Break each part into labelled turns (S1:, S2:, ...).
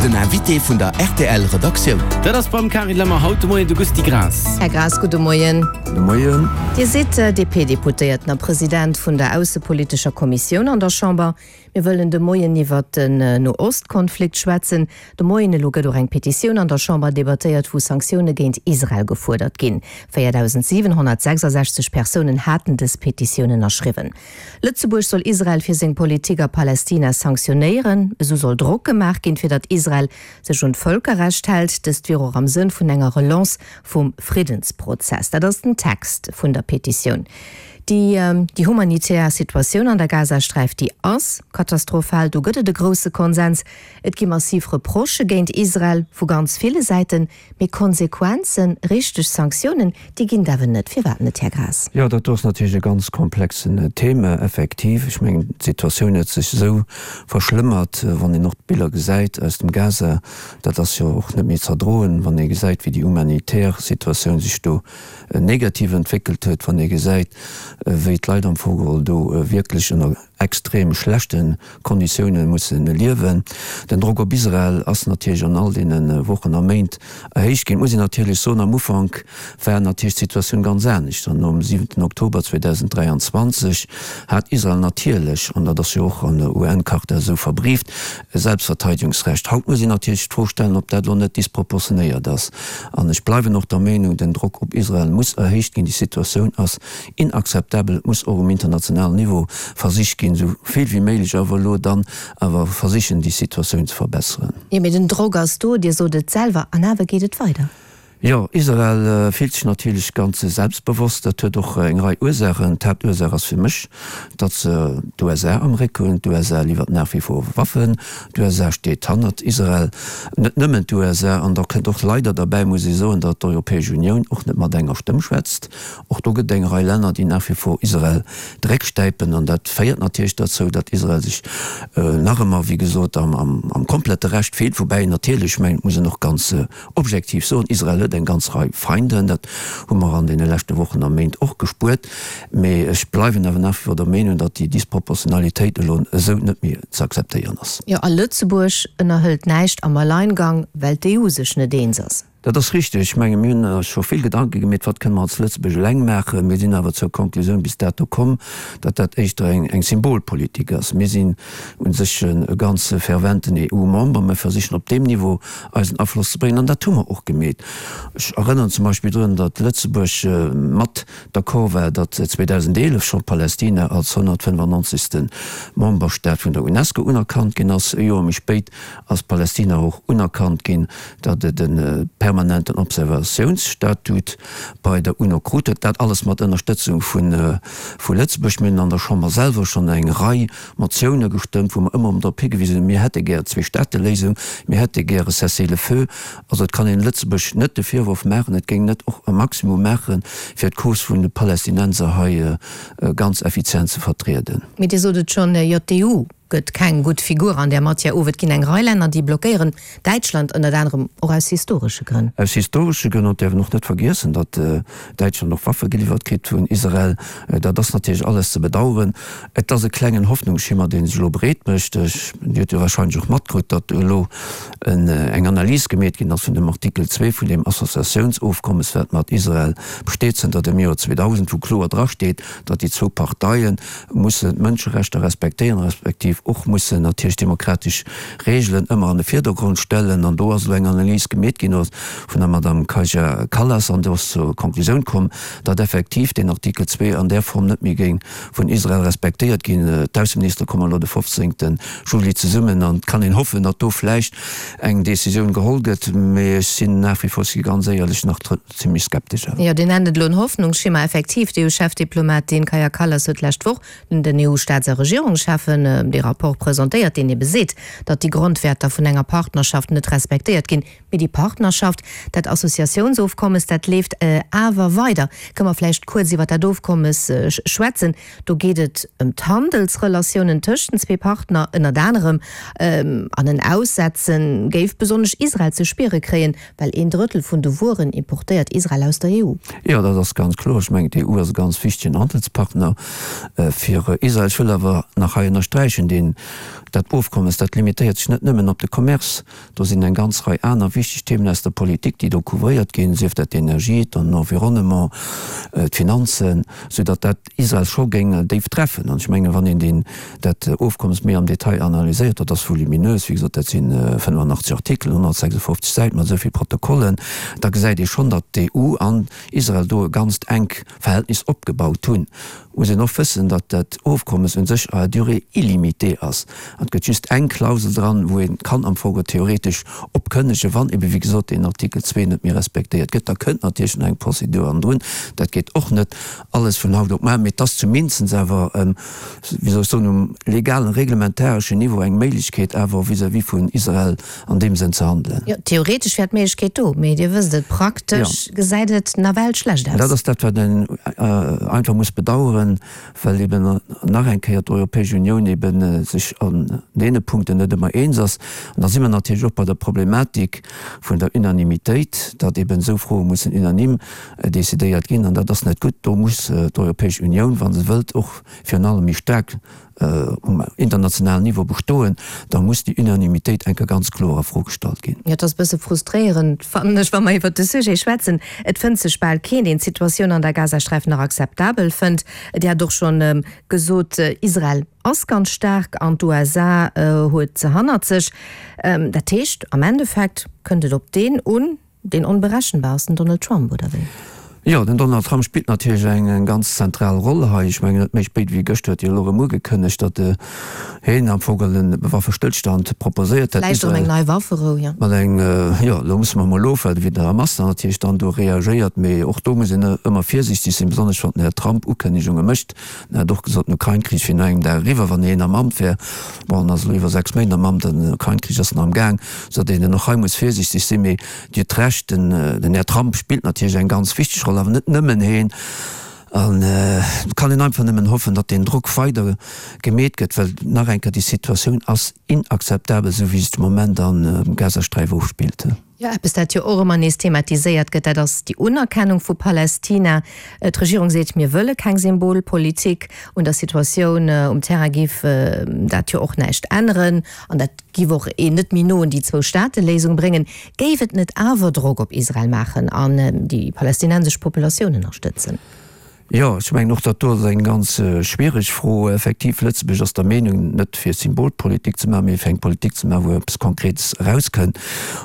S1: Den Invité vun der rtl Redaktioun.
S2: Dat ass beim Carine Lemmer haut de Moien de Gusty Graas.
S3: Här Graas, gudde Moien.
S4: Gudde Moien.
S3: Dir sidd DP-Deputéierten a President vun der aussepolitescher Kommissioun an der Chamber. Mir wëllen de Moien iwwert den No-Ost-Konflikt schwätzen. De Moien elo gëtt och eng Petitioun an der Chamber debattéiert, wou Sanktioune géint Israel gefuerdert ginn. 4.766 Persounen haten dës Petitioun ënnerschriwwen. Lëtzebuerg soll Israel fir seng Politik a Palästina sanktionéieren. Esou soll Drock gemaach ginn, fir datt Israel sech un d'Vëlkerrecht hält. Dëst wier och am Sënn vun enger Relance vum Friddensprozess. Dat ass den Text vun der Petitioun. Déi déi humanitär Situatioun an der Gazasträif, déi ass katastrophal. Do gëtt et e grousse Konsens. Et gi massiv Reprochë géint Israel vu ganz ville Säiten. Mee Konsequenzen, richteg Sanktiounen, déi ginn et awer net. Firwat net, Här Graas?
S4: Jo, dat do ass natierlech e ganz komplexen Thema, effektiv. Ech mengen, d'Situatioun huet sech esou verschlëmmert, wann een och d'Biller gesäit aus dem Gaza, dat ass jo och net méi z'erdroen, wann ee gesäit, wéi déi humanitär Situatioun sech do negativ entwéckelt huet, wann ee gesäit, wéi d'Leit am Fong geholl do wierklech ënner extrem schlechte Konditioune musse liewen. Den Drock op Israel ass natierlech an all deene Wochen a Méint erhéicht ginn. Et muss een natierlech soen, am Ufank war natierlech d'Situatioun ganz anescht. An nom siwenten Oktober 2023 hat Israel natierlech, an dat ass jo och an der UN-Charta esou verbrieft, e Selbstverteidigungsrecht. Haut muss een natierlech d'Fro stellen, ob dat elo net disproportionéiert ass. An ech bleiwen och der Meenung, den Drock op Israel muss erhéicht ginn. Déi Situatioun ass Inakzeptabel. Et muss och um internationalen Niveau versicht ginn, esou vill wéi méiglech awer elo dann awer versichen, déi Situatioun ze verbesseren.
S3: Jo, mee den Drock ass do, Dir sot et selwer, an awer geet et weider.
S4: Jo, Israel fillt sech natierlech ganz selbstbewosst. Dat huet och eng Rei Ursaachen. D'Haaptursaach ass fir mech, datt se d'USA am Réck hunn. D'USA liwwert nach wie vor Waffen. D'USA steet hannert Israel. Net nëmmen d'USA. An da kënnt och leider derbäi, muss ee soen, datt d'Europäesch Unioun och net mat enger Stëmm schwätzt. Och do gëtt et eng Rei Länner, déi nach wie vor Israel de Réck stäipen. An dat féiert natierlech derzou, datt Israel sech nach ëmmer, wéi gesot, am komplette Recht fillt. Woubäi een natierlech, ech mengen, et muss een och ganz objektiv soen, Israel huet eng ganz Rei Feinden. Dat hu mer an deene leschte Wochen a Méint och gespuert. Mee ech bleiwen awer nach wie vor der Meenung, datt déi Disproportionalitéit elo esou net méi ze akzeptéieren ass.
S3: Jo, a Lëtzebuerg ënnerhëlt näischt am Alleingang, well d'EU sech net eens ass.
S4: Dat ass richteg. Ech menge mir hunn eis scho vill Gedanke gemeet, wat kënne mer als Lëtzebuerg eleng maachen. Mir sinn awer zur Konklusioun bis dato komm, datt dat éischter eng eng Symbolpolitik ass. Mir sinn u sech e ganz ferventen EU-Member. Mir versichen op deem Niveau eisen Afloss ze bréngen an dat hu mer och gemeet. Ech erënneren zum Beispill drun, datt Lëtzebuerg mat d'accord war, datt 2011 scho Palästina als 195. Memberstaat vun der UNESCO unerkannt ginn ass. E Joer méi spéit ass Palästina och unerkannt ginn, datt et e permanenten Observatiounsstatut bei der UNO krut huet. Dat alles mat Ënnerstëtzung vu Lëtzebuerg. Mir hunn an der Chamber selwer schonn eng Rei Motioune gestëmmt, wou mer ëmmer erëm drop higewisen hunn, mir hätte gär Zweestaateléisung, mir hätte gär e Cessez-le-feu. Also et kann een Lëtzebuerg net de Virworf maachen, et géing net och e Maximum maachen, fir d'Cause vun de Palästinenser hei ganz effizient ze vertrieden.
S3: Mee Dir sot et schonn, jo d'EU gëtt keng gutt Figur an där Matière of. Et ginn eng Rei Länner, déi blockéieren, Däitschland ënnert anerem, och aus historesche Grënn.
S4: Aus historesche Grënn. An et däerf een och net vergiessen, datt Däitschland och Waffe geliwwert kritt vun Israel. Dat ass natierlech alles ze bedauern. Et ass e klengen Hoffnungsschimmer, dee sech elo breet mécht. Ech, Dir hutt jo warscheinlech och matkritt, datt elo eng Analys gemeet ginn ass vun dem Artikel 2 vun deem Associatiounsofkommes, wat mat Israel besteet zënter dem Joer 2000, wou kloer drasteet, datt déi zwou Parteien mussen d'Mënscherechter respektéieren, respektiv och mussen natierlech demokratesch Regeln ëmmer an de Virdergrond stellen. An do ass elo eng Analys gemeet ginn vun der Madame Kaja Kallas an do ass zur Konklusioun komm, datt effektiv deen Artikel 2 an där Form net méi géing vun Israel respektéiert ginn. D'Ausseministere kommen elo de 15. Juli zesummen an et kann een hoffen, datt do vläicht eng Decisioun geholl gëtt, mee ech sinn nach wie vor, si ganz éierlech, nach Zimlech skeptesch
S3: awer. Jo, Dir nennt et elo en Hoffnungsschimmer. Effektiv, d'EU-Chefdiplomatin Kaja Kallas huet d'lescht Woch den EU-Staats a Regierungscheffen dee Rapport presentéiert, deen ebe seet, datt déi Grondwäerter vun enger Partnerschaft net respektéiert ginn. Mee déi Partnerschaft, dat Associatiounsofkommes, dat leeft awer weider. Kënne mer vläicht kuerz iwwer dat Ofkommes schwätzen? Do geet et ëm d'Handelsrelatiounen tëscht den zwee Partner ënnert anerem. An en Aussetze géif besonnesch Israel ze spiere kréien, Well een Drëttel vun de Wueren importéiert Israel aus der EU.
S4: Jo, dat ass ganz kloer. Ech mengen, d'EU ass e ganz wichtegen Handelspartner fir Israel. Ech wëll awer nach hei ënnersträichen, deen. deen, dat Ofkommes, dat limitéiert sech net nëmmen op de Commerce, do sinn eng ganz Rei aner wichteg Themen aus der Politik, déi do couvréiert ginn, sief dat d'Energie, den Environnement, d'Finanzen, soudatt dat Israel scho géing déif treffen. An ech mengen, wann een deen, dat Ofkommes méi am Detail analyséiert, dat ass voluminös, wéi gesot, dat si 85 Artikelen, 156 Säiten mat esou vill Protokollen, da gesäit ee schonn, datt d'EU an Israel do e ganzt enk Verhältnis opgebaut hunn. Muss een och wëssen, datt dat Ofkommes un sech à durée illimitée ass. An et gëtt just eng Klausel dran, wou ee kann am Fong theoretesch opkënnegen, wann ebe wéi gesot deen Artikel 2 net méi respektéiert gëtt. Da kënnt natierlech nach eng Procédure hannendrun. Dat geet och net alles vun haut op mar, mee et ass zumindest awer, wéi soll ech soen, um legalen, reglementareschen Niveau eng Méiglechkeet awer vis-à-vis vun Israel an deem Sënn ze handelen.
S3: Jo, theoretesch wär d'Méiglechkeet do, mee Dir wësst et, praktesch gesäit et nawell schlecht aus.
S4: Dat ass dat, wat een einfach muss bedauern, well eben nach eng Kéier d'Europäesch Unioun eben sech an deene Punkten net ëmmer eens ass. An da si mer natierlech och bei der Problematik vun der Unanimitéit, datt eben esou Froe mussen unanime decidéiert ginn. An dat ass net gutt. Do muss d'Europäesch Unioun, wa se wëllt och virun allem méi staark um internationalen Niveau bestoen, da muss déi Unanimitéit eng Kéier ganz kloer a Fro gestallt ginn.
S3: Jo, et ass e bësse frustréierend, fannen ech, wa mer iwwert de Sujet schwätzen. Et fënnt sech bal keen, deen d'Situatioun an der Gazasträif nach akzeptabel fënnt. Dir hat och schonn gesot, Israel ass ganz staark an d'USA huet se hannert sech. Dat heescht, am Endeffekt kënnt et op deen un, Deen onberechenbar ass den Donald Trump, oder wéi?
S4: Jo, den Donald Trump spillt natierlech eng ganz zentral Roll hei. Ech mengen, net méi spéit wéi gëschter huet hie elo erëm ugekënnegt, datt hien am Fong e Waffestëllstand proposéiert hätt.
S3: Vläicht erëm eng nei Wafferou, jo.
S4: Mat eng, jo, elo musse mer emol ofwaarden, wéi den Hamas dann natierlech dann do reagéiert. Mee och do muss een ëmmer virsiichteg sinn, besonnesch wann den Här Trump Ukënnegunge mécht. En hat och gesot, den Ukrain-Krich wier no engem Dag eriwwer, wann hien am Amt wär. Bon, en ass elo iwwer 6 Méint am Amt an den Ukrain-Krich ass nach am Gaang, soudatt een och hei muss virsiichteg sinn. Mee Dir hutt Recht, den Här Trump spillt natierlech eng ganz wichteg Roll, awer net nëmmen heen. An et kann een einfach nëmmen hoffen, datt deen Drock weider gemeet gëtt, well nach eng Kéier, déi Situatioun ass inakzeptabel, esou wéi sech de Moment am Gazasträif ofspillt.
S3: Jo, eppes dat jo och ëmmer nees thematiséiert gëtt, dat ass déi Unerkennung vu Palästina. D'Regierung seet, mir wëlle keng Symbolpolitik. Un der Situatioun um Terrain géif dat jo och näischt änneren an dat géif och een net méi no un déi Zwou-Staate-Léisung bréngen. Géif et net awer Drock op Israel maachen an déi palästinensesch Populatioun ënnerstëtzen?
S4: Jo, ech mengen och, dat do ass eng ganz schwiereg Fro. Effektiv, Lëtzebuerg ass der Meenung, net fir Symbolpolitik ze maachen, mee fir eng Politik ze maachen, wou eppes Konkretes erauskënnt.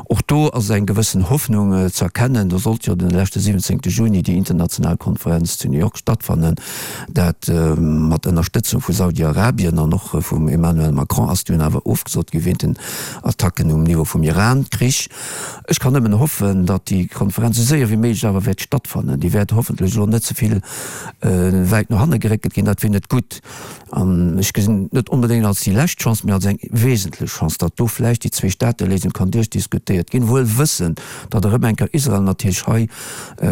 S4: Och do ass eng gewëssen Hoffnung ze erkennen. Do sollt jo de leschte 17. Juni déi international Konferenz zu New York stattfannen. Dat mat Ënnerstëtzung vu Saudi-Arabien an och vum Emmanuel Macron ass dunn awer ofgesot gi wéint den Attacken um Niveau vum Iran-Krich. Ech kann nëmmen hoffen, datt déi Konferenz esou séier wéi méiglech awer wäert stattfannen. Déi wäert hoffentlech elo net ze vill wäit no hanne geréckelt ginn. Dat wier net gutt. An ech gesinn et net onbedéngt als déi lescht Chance, mee als eng wesentlech Chance, datt do vläicht déi Zweestaateléisung kann duerchdiskutéiert ginn, wuel wëssend, datt erëm eng Kéier Israel natierlech hei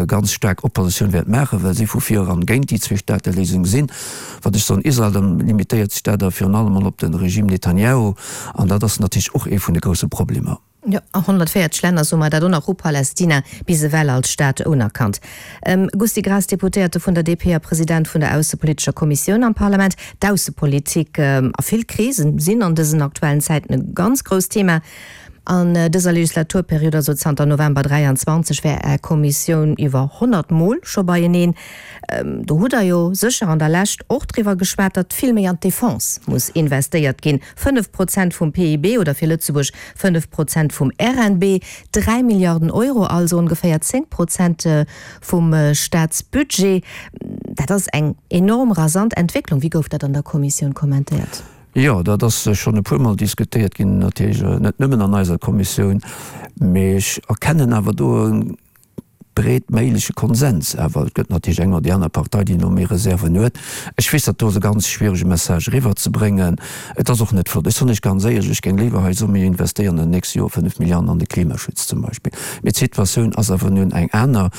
S4: ganz staark Oppositioun wäert maachen, well si vu vir eran géint déi Zweestaateléisung sinn. Wat ech soen, Israel, dann limitéiert sech dat awer virun allem emol op de Regime Netanyahu. An dat ass natierlech och ee vun de grousse Problemer.
S3: Jo, a 140 Länner, soe mer dat och nach, hu Palästina bis ewell als Staat unerkannt. Gusty Graas, Deputéierte vun der DP a President vun der aussepolitescher Kommissioun am Parlament. D'Aussepolitik a vill Krisen sinn an dësen aktuellen Zäiten e ganz grousst Thema. An dëser Legislaturperiod, also zanter November 23, war Är Kommissioun iwwer 100 Mol scho beieneen. Do hutt Der jo sécher an der Lescht och driwwer geschwat, datt vill méi an d'Defense muss investéiert ginn. 5 Prozent vum PIB oder fir Lëtzebuerg 5 Prozent vum RNB, 3 Milliarden Euro, also ongeféier 10 Prozent vum Staatsbudget. Dat ass eng enorm rasant Entwécklung. Wéi gouf dat an der Kommissioun kommentéiert?
S4: Jo, dat ass schonn e puermol diskutéiert ginn, natierlech net nëmmen an eiser Kommissioun, mee ech erkennen awer do e breet méigleche Konsens. Awer et gëtt natierlech eng oder déi aner Partei, déi do méi Reserven huet. Ech weess, dat do ass e ganz schwierege Message eriwwerzebréngen. Et ass och net flott. Ech soen lech ganz éierlech, ech géing léiwer hei soen, mir investéieren an den nächste Joer 5 Milliarden an de Klimaschutz zum Beispill. Mee d'Situatioun ass awer nun eng aner.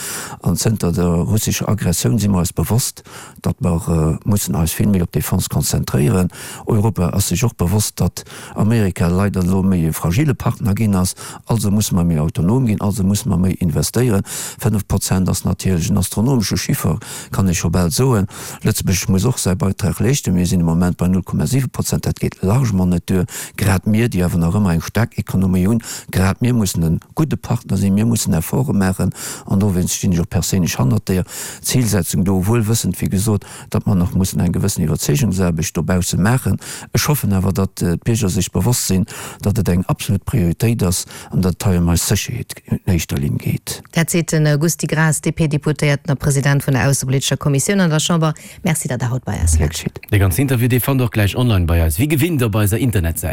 S4: An zënter der russescher Aggressioun si mer eis bewosst, datt mer mussen eis vill méi op d'Defense konzentréieren. Europa ass sech och bewosst, datt Amerika leider elo méi e fragile Partner ginn ass. Also musse mer méi autonom ginn, also musse mer méi investéieren. 5 Prozent ass natierlech en astronomesche Chiffer, kann ee scho bal soen. Lëtzebuerg muss och säi Beitrag leeschten. Mir sinn de Moment bei 0,7 Prozent. Dat geet largement net duer. Grad mir, déi awer nach ëmmer eng staark Ekonomie hunn, grad mir mussen e gudde Partner sinn. Mir mussen Efforte maachen. An dowéinst stinn ech och perséinlech hannert deer Zilsetzung do, wuel wëssend, wéi gesot, datt mer nach mussen eng gewëssen Iwwerzeegungsaarbecht dobausse maachen. Ech hoffen awer, datt d'Bierger sech bewosst sinn, datt et eng absolut Prioritéit ass an datt et hei ëm eis Sécherheet un éischter Linn geet.
S3: Dat seet de Gusty Graas, DP-Deputéierten a President vun der aussepolitescher Kommissioun an der Chamber. Merci, datt Der haut bei eis waart.
S2: Gär geschitt. Dee ganzen Interview, dee fannt Der och gläich online bei eis, wéi gewinnt op eiser Internetsäit.